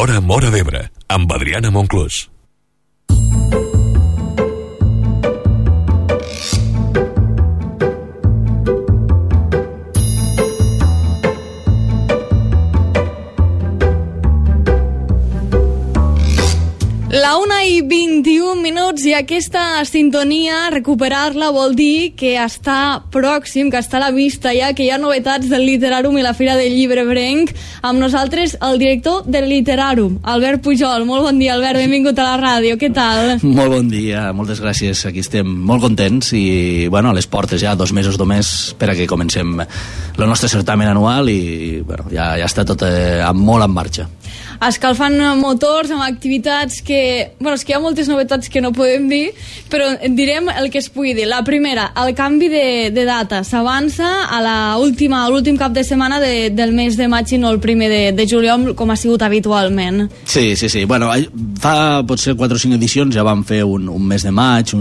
L'Hora Móra d'Ebre, amb Adriana Monclús. La 1:21 i aquesta sintonia, recuperar-la vol dir que està pròxim, que està a la vista ja, que hi ha novetats del Literàrum i la Fira del Llibre Ebrenc. Amb nosaltres el director del Literàrum, Albert Pujol. Molt bon dia, Albert, benvingut a la ràdio, què tal? Molt bon dia, moltes gràcies, aquí estem molt contents i, bueno, a les portes ja, 2 mesos només per a que comencem el nostre certamen anual i, bueno, ja està tot molt en marxa. Escalfant motors amb activitats que... Bueno, és que hi ha moltes novetats que no podem dir, però direm el que es pugui dir. La primera, el canvi de data. S'avança a l'últim cap de setmana del mes de maig i no el primer de juliol, com ha sigut habitualment. Sí. Bueno, fa potser 4 o 5 edicions ja vam fer un mes de maig,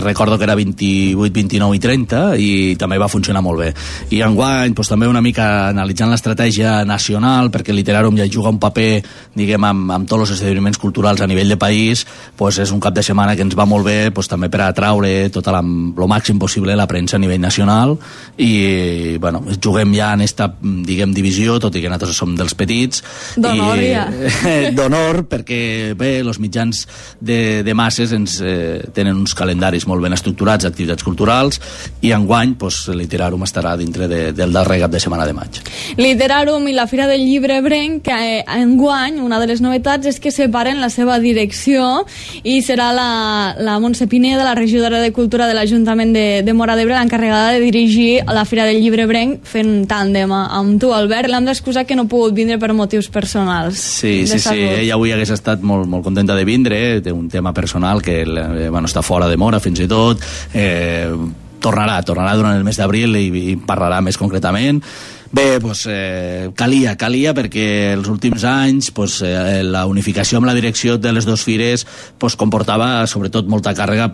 recordo que era 28, 29 i 30, i també va funcionar molt bé. I enguany, doncs, també una mica analitzant l'estratègia nacional, perquè el Literàrum ja juga un paper, diguem, amb tots els esdeveniments culturals a nivell de país, doncs és un cap de setmana que ens va molt bé, doncs també per atraure tot el màxim possible la premsa a nivell nacional i, bueno, juguem ja en esta, diguem, divisió, tot i que nosaltres som dels petits. D'honor, ja. D'honor, perquè, bé, els mitjans de masses tenen uns calendaris molt ben estructurats d'activitats culturals i enguany, doncs, el Literàrum estarà dintre del darrer cap de setmana de maig. Literàrum i la Fira del Llibre Ebrenc, que enguany una de les novetats és que separen la seva direcció i serà la Montse Pineda, la regidora de Cultura de l'Ajuntament de Móra d'Ebre, l'encarregada de dirigir la Fira del Llibre Ebrenc fent tàndem amb tu, Albert. L'hem d'excusar que no ha pogut vindre per motius personals. Sí, ella avui hagués estat molt contenta de vindre, té un tema personal que està fora de Móra fins i tot, tornarà durant el mes d'abril i parlarà més concretament. Bé, doncs, calia perquè els últims anys la unificació amb la direcció de les dues fires comportava sobretot molta càrrega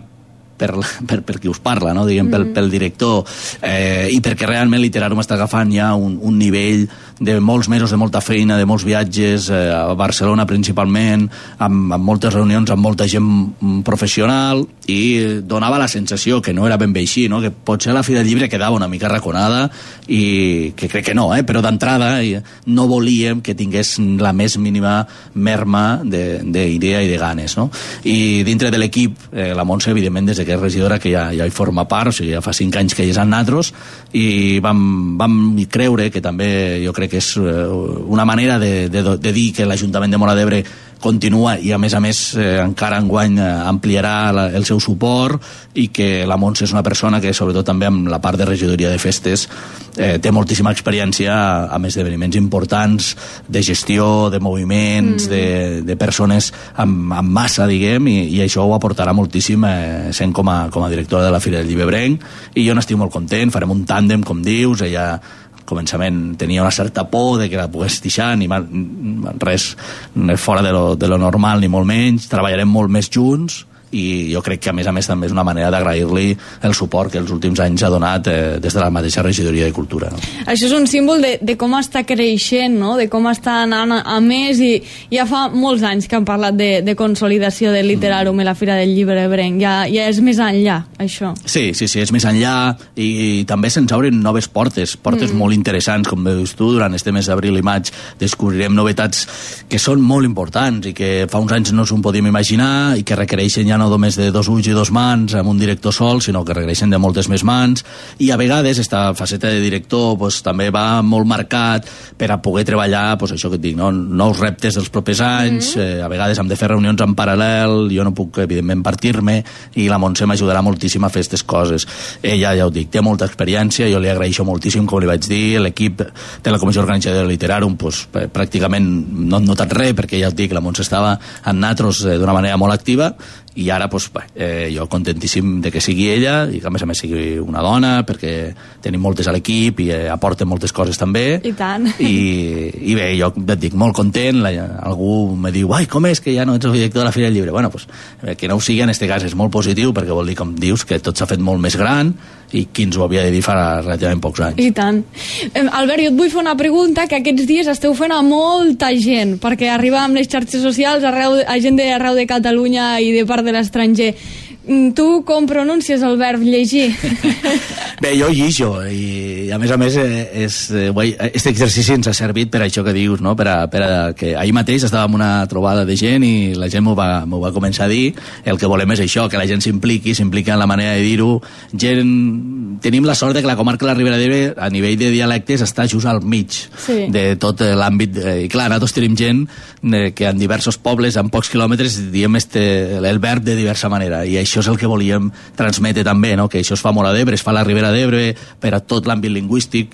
per qui us parla, no? Diguem, pel director, i perquè realment Literàrum està agafant ja un nivell de molts mesos de molta feina, de molts viatges a Barcelona principalment, amb moltes reunions amb molta gent professional, i donava la sensació que no era ben bé així, no? Que potser la Fira del Llibre quedava una mica raconada, i que crec que no, però d'entrada no volíem que tingués la més mínima merma d'idea i de ganes, no? I dintre de l'equip, la Montse, evidentment, des que és regidora, que ja hi forma part, o sigui, ja fa 5 anys que hi és amb nosaltres, i vam creure que també, jo crec que és una manera de dir que l'Ajuntament de Móra d'Ebre continua i a més encara enguany ampliarà el seu suport, i que la Montse és una persona que, sobretot també amb la part de regidoria de festes, té moltíssima experiència amb esdeveniments importants de gestió, de moviments, de persones amb massa, diguem, i això ho aportarà moltíssim sent com a directora de la Fira del Llibre Ebrenc, i jo n'estic molt content. Farem un tàndem, com dius. Ella al començament tenia una certa por de que la pogués deixar, ni res fora de lo normal, ni molt menys. Treballarem molt més junts, i jo crec que a més també és una manera d'agrair-li el suport que els últims anys ha donat des de la mateixa regidoria de Cultura, no? Això és un símbol de com està creixent, no? De com està anant a més, i ja fa molts anys que han parlat de consolidació del Literàrum i la Fira del Llibre Ebrenc. Ja és més enllà, això. Sí, és més enllà, i també se'ns obren noves portes molt interessants, com veus tu. Durant este mes d'abril i maig descobrirem novetats que són molt importants i que fa uns anys no s'ho podíem imaginar, i que requereixen ja no només de 2 ulls i 2 mans amb un director sol, sinó que requereixen de moltes més mans, i a vegades esta faceta de director també va molt marcat per a poder treballar, això que et dic, no? Nous reptes dels propers anys. A vegades hem de fer reunions en paral·lel, jo no puc evidentment partir-me, i la Montse m'ajudarà moltíssim a fer aquestes coses. Ella, ja ho dic, té molta experiència, jo li agraeixo moltíssim, com li vaig dir. L'equip de la Comissió Organitzadora del Literàrum pràcticament no han notat res, perquè ja ho dic, la Montse estava amb nosaltres d'una manera molt activa, i ara doncs, jo contentíssim de que sigui ella i que a més sigui una dona, perquè tenim moltes a l'equip i aporten moltes coses també. I tant. I bé, jo et dic, molt content, algú me diu, ai, com és que ja no ets el director de la Fira del Llibre? Bueno, pues, que no ho sigui en aquest cas és molt positiu, perquè vol dir, com dius, que tot s'ha fet molt més gran i qui ens ho havia de dir fa relativament pocs anys. I tant. Albert, jo et vull fer una pregunta que aquests dies esteu fent a molta gent, perquè arriba amb les xarxes socials a gent d'arreu de Catalunya i de part de l'estranger. Tu com pronuncies el verb llegir? Bé, jo llijo, i a més aquest exercici ens ha servit per això que dius, no? per a que ahir mateix estàvem en una trobada de gent i la gent m'ho va començar a dir. El que volem és això, que la gent s'impliqui en la manera de dir-ho. Tenim la sort de que la comarca de la Ribera d'Ebre a nivell de dialectes està just al mig de tot l'àmbit, i clar, nosaltres tenim gent que en diversos pobles, en pocs quilòmetres, diem el verb de diversa manera, i això és el que volíem transmetre també, no? Que això es fa molt a d'Ebre, es fa a la Ribera d'Ebre per a tot l'àmbit lingüístic,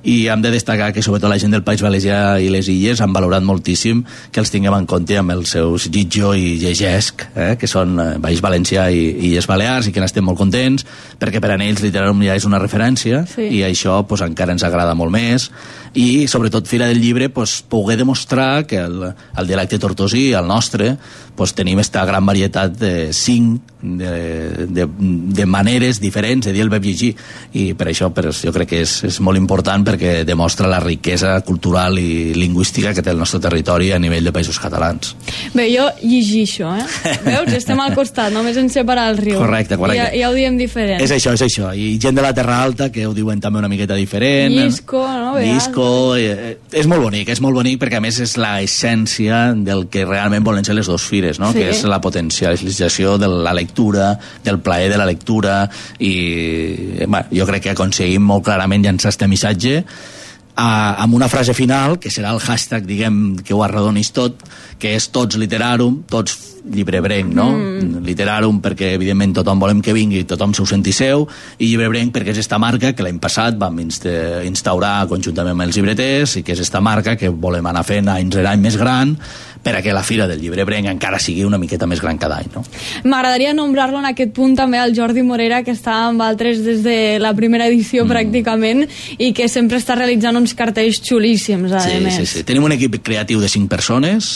i hem de destacar que sobretot la gent del País Valencià i les Illes han valorat moltíssim que els tinguem en compte amb els seus llitjo i llegesc, que són País Valencià i Illes Balears, i que n'estem molt contents, perquè per a ells Literàrum ja és una referència, i això pues, encara ens agrada molt més, i sobretot Fira del Llibre pues, poder demostrar que el dialecte tortosí, el nostre, pues, tenim esta gran varietat de 5 de maneres diferents de dir el verb llegir, i per això jo crec que és molt important, perquè demostra la riquesa cultural i lingüística que té el nostre territori a nivell de països catalans. Bé, jo llegixo, veus? Estem al costat, només ens separa el riu. Correcte. Ja ho diem diferent. És això, i gent de la Terra Alta que ho diuen també una miqueta diferent. Llisco, no? Llisco, és molt bonic perquè a més és l'essència del que realment volen ser les dues fires, no? Que és la potencialització de la lectura, del plaer de la lectura, i jo crec que aconseguim molt clarament llançar este missatge amb una frase final, que serà el hashtag, diguem, que ho arredonis tot, que és tots Literarum, tots llibrebrenc, no? Literarum perquè evidentment tothom volem que vingui, tothom s'ho senti seu, i llibrebrenc perquè és esta marca que l'any passat vam instaurar conjuntament amb els llibreters, i que és esta marca que volem anar fent any rere any més gran, per a que la Fira del Llibrebrenc encara sigui una miqueta més gran cada any, no? M'agradaria nombrar-lo en aquest punt també al Jordi Morera, que està amb altres des de la primera edició pràcticament, i que sempre està realitzant uns cartells xulíssims, a més. Sí. Tenim un equip creatiu de 5 persones,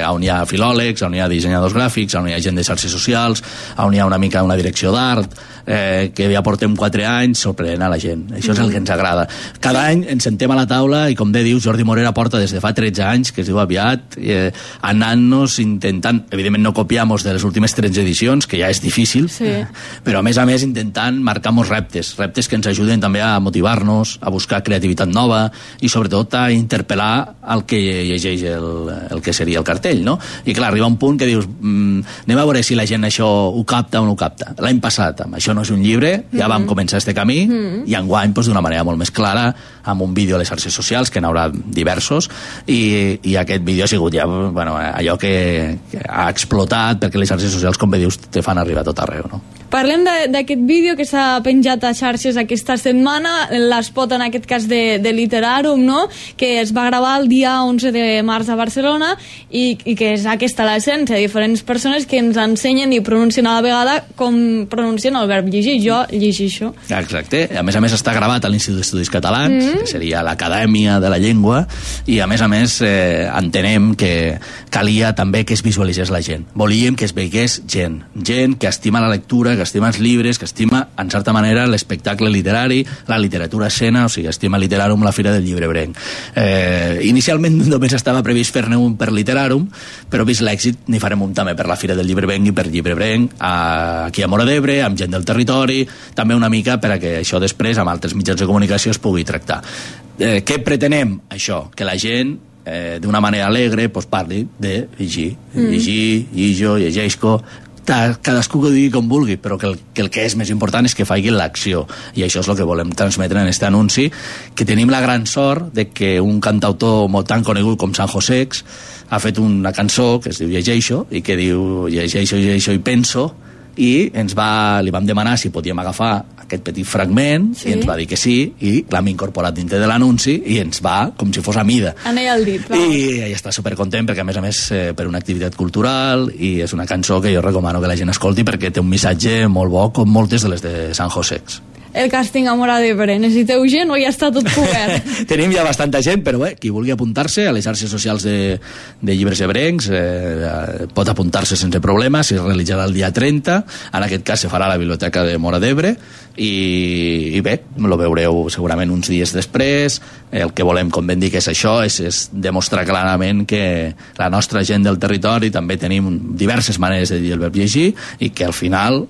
on hi ha filòlegs, on hi ha dissenyadors gràfics, on hi ha gent de xarxes socials, on hi ha una mica una direcció d'art, que ja portem 4 anys sorprenent a la gent. Això és el que ens agrada. Cada any ens sentem a la taula i, com bé dius, Jordi Morera porta des de fa 13 anys, que es diu aviat, anant-nos intentant, evidentment no copiamos de les últimes 13 edicions, que ja és difícil, però a més intentant marcar molts reptes que ens ajuden també a motivar-nos, a buscar creativitat nova i sobretot a interpel·lar el que llegeix el que seria el cartell, no? I clar, arriba un punt que dius, anem a veure si la gent això ho capta o no ho capta. L'any passat, amb Això no és un llibre, ja vam començar este camí, i enguany d'una manera molt més clara, amb un vídeo a les xarxes socials, que n'haurà diversos, i aquest vídeo ha sigut ja allò que ha explotat, perquè les xarxes socials, com bé dius, te fan arribar a tot arreu, no? Parlem d'aquest vídeo que s'ha penjat a xarxes aquesta setmana, l'espot en aquest cas de Literarum, no? Que es va gravar el dia 11 de març a Barcelona, i que és aquesta l'essència, diferents persones que ens ensenyen i pronuncien a la vegada com pronuncien el verb llegir. Jo llegixo. Exacte. A més està gravat a l'Institut d'Estudis Catalans, que seria l'Acadèmia de la Llengua, i a més entenem que calia també que es visualitzés la gent. Volíem que es veigués gent que estima la lectura, que estima els llibres, que estima, en certa manera, l'espectacle literari, la literatura escena, o sigui, estima Literarum, la Fira del Llibrebrenc. Inicialment només estava previst fer-ne un per Literarum, però vist l'èxit n'hi farem un també per la Fira del Llibrebrenc i per Llibrebrenc, aquí a Móra d'Ebre, amb gent del territori, també una mica per a que això després, amb altres mitjans de comunicació, es pugui tractar. Què pretenem? Això, que la gent d'una manera alegre parli de llegir, llijo, llegeixco, cadascú que ho digui com vulgui, però que el que és més important és que faci l'acció, i això és el que volem transmetre en aquest anunci, que tenim la gran sort de que un cantautor molt tan conegut com San Josex ha fet una cançó que es diu Llegeixo, i que diu llegeixo i penso, i li vam demanar si podíem agafar aquest petit fragment, i ens va dir que sí, i l'hem incorporat dintre de l'anunci i ens va com si fos a mida. Anell al dit. I està supercontent perquè, a més, per una activitat cultural, i és una cançó que jo recomano que la gent escolti perquè té un missatge molt bo, com moltes de les de San Josex. El càsting a Móra d'Ebre, necessiteu gent o ja està tot cobert? Tenim ja bastanta gent, però qui vulgui apuntar-se a les xarxes socials de llibres ebrencs pot apuntar-se sense problema, es realitzarà el dia 30, en aquest cas se farà a la Biblioteca de Móra d'Ebre, i bé, lo veureu segurament uns dies després. El que volem, com ben dic, és això, és demostrar clarament que la nostra gent del territori també tenim diverses maneres de dir el verb llegir, i que al final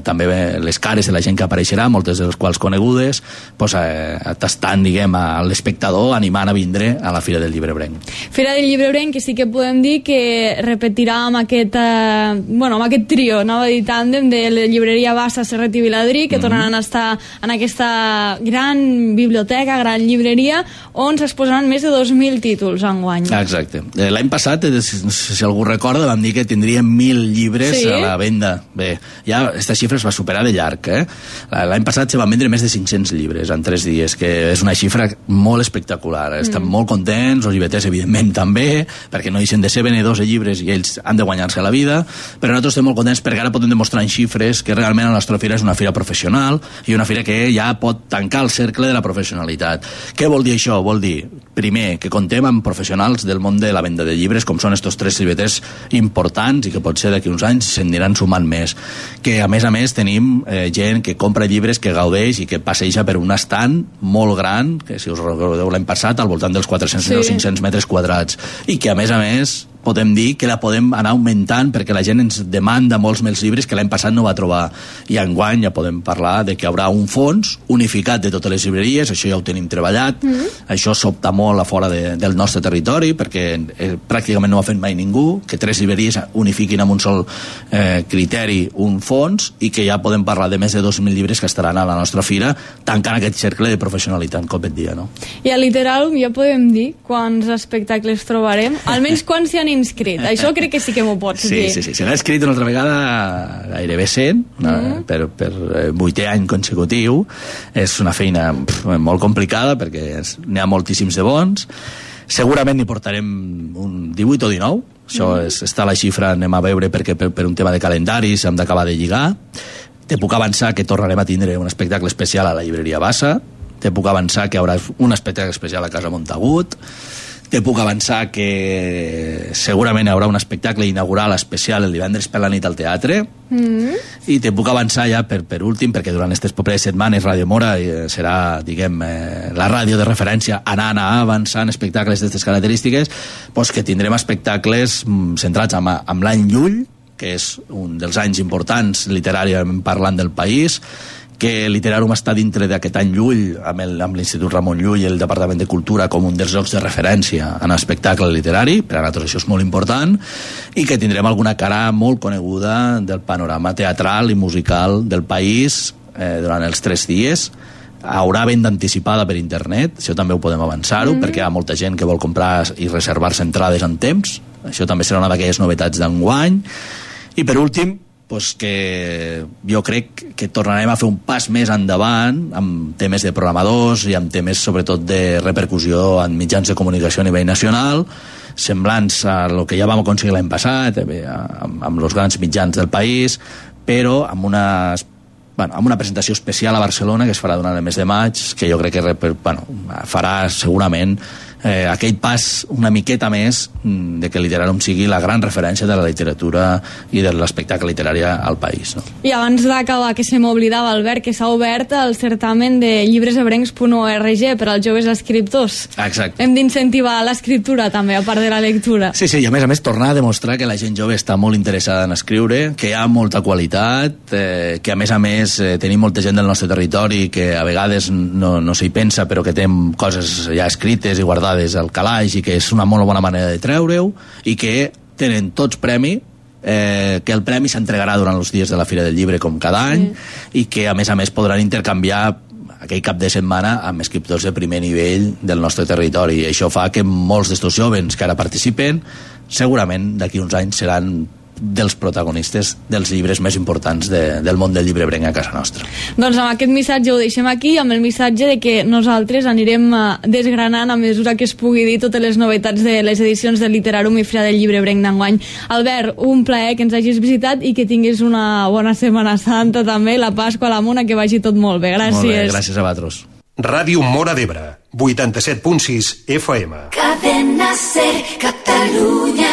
també les cares de la gent que apareixerà, moltes de les quals conegudes, pues, tastant, diguem, a l'espectador, animant a vindre a la Fira del Llibre Ebrenc. Fira del Llibre Ebrenc, que sí que podem dir que repetirà amb aquest trio, anava a dir tàndem, de la llibreria Bassa, Serret i Viladrí, que tornaran a estar en aquesta gran biblioteca, gran llibreria, on s'exposaran més de 2.000 títols enguany. Exacte. L'any passat, si algú recorda, vam dir que tindríem 1.000 llibres a la venda. Bé, ja aquesta xifra es va superar de llarg. L'any passat se van vendre més de 500 llibres en 3 dies, que és una xifra molt espectacular. Estem molt contents, els llibreters evidentment també, perquè no deixen de ser venedors de llibres i ells han de guanyar-se la vida, però nosaltres estem molt contents perquè ara podem demostrar en xifres que realment la nostra fira és una fira professional i una fira que ja pot tancar el cercle de la professionalitat. Què vol dir això? Vol dir, primer, que contem amb professionals del món de la venda de llibres, com són estos 3 llibreters importants i que potser d'aquí uns anys se'n aniran sumant més. Que a més tenim gent que compra llibres, que gaudeix i que passeja per un estand molt gran, que si us recordeu l'any passat, al voltant dels 400 o 500 metres quadrats, i que a més podem dir que la podem anar augmentant perquè la gent ens demanda molts més llibres que l'any passat no va trobar, i enguany ja podem parlar de que hi haurà un fons unificat de totes les llibreries, això ja ho tenim treballat, això s'opta molt a fora del nostre territori perquè pràcticament no ho ha fet mai ningú, que 3 llibreries unifiquin amb un sol criteri un fons, i que ja podem parlar de més de 2.000 llibres que estaran a la nostra fira tancant aquest cercle de professionalitat, com et dia, no? I a Literal ja podem dir quants espectacles trobarem, almenys quants s'hi han inscrit. Això crec que sí que m'ho pots dir. Sí. Se n'ha inscrit una altra vegada gairebé 100 per 8è any consecutiu. És una feina molt complicada perquè n'hi ha moltíssims de bons. Segurament n'hi portarem un 18 o 19. Això està a la xifra, anem a veure, perquè per un tema de calendaris hem d'acabar de lligar. Te puc avançar que tornarem a tindre un espectacle especial a la llibreria Bassa. Te puc avançar que hi haurà un espectacle especial a Casa Montagut. Te puc avançar que segurament hi haurà un espectacle inaugural especial el divendres per la nit al teatre. I te puc avançar ja per últim, perquè durant aquestes properes setmanes Ràdio Móra serà, diguem, la ràdio de referència anar avançant espectacles d'aquestes característiques, doncs que tindrem espectacles centrats amb l'any Llull, que és un dels anys importants literàriament parlant del país, que Literàrium està dintre d'aquest any Llull amb l'Institut Ramon Llull i el Departament de Cultura com un dels llocs de referència en espectacle literari, per a nosaltres això és molt important, i que tindrem alguna cara molt coneguda del panorama teatral i musical del país durant els 3 dies. Haurà venda anticipada per internet, això també ho podem avançar-ho, perquè hi ha molta gent que vol comprar i reservar-se entrades en temps. Això també serà una d'aquelles novetats d'enguany. I per últim, pues que jo crec que tornarem a fer un pas més endavant amb temes de programadors i amb temes sobretot de repercussió en mitjans de comunicació a nivell nacional, semblants a el que ja vam aconseguir l'any passat amb els grans mitjans del país, però amb una presentació especial a Barcelona que es farà durant el mes de maig, que jo crec que farà segurament aquell pas una miqueta més de que Literàrium sigui la gran referència de la literatura i de l'espectacle literari al país, no? I abans d'acabar, que se m'oblidava, Albert, que s'ha obert el certamen de llibresebrencs.org per als joves escriptors. Exacte. Hem d'incentivar l'escriptura també, a part de la lectura. Sí, i a més tornar a demostrar que la gent jove està molt interessada en escriure, que hi ha molta qualitat, que a més tenim molta gent del nostre territori que a vegades no s'hi pensa, però que té coses ja escrites i guardades al calaix, i que és una molt bona manera de treure-ho, i que tenen tots premi, que el premi s'entregarà durant els dies de la Fira del Llibre com cada any, i que a més podran intercanviar aquell cap de setmana amb escriptors de primer nivell del nostre territori. I això fa que molts d'estos jovens que ara participen segurament d'aquí uns anys seran dels protagonistes dels llibres més importants del món del llibrebrenc a casa nostra. Doncs amb aquest missatge ho deixem aquí, amb el missatge de que nosaltres anirem desgranant a mesura que es pugui dir totes les novetats de les edicions del Literarum i Fira del Llibrebrenc d'enguany. Albert, un plaer que ens hagis visitat i que tinguis una bona Setmana Santa també, la Pasqua a la Mona, que vagi tot molt bé. Gràcies. Molt bé, gràcies a vosaltres. Ràdio Móra d'Ebre, 87.6 FM. Cadena Ser, Catalunya.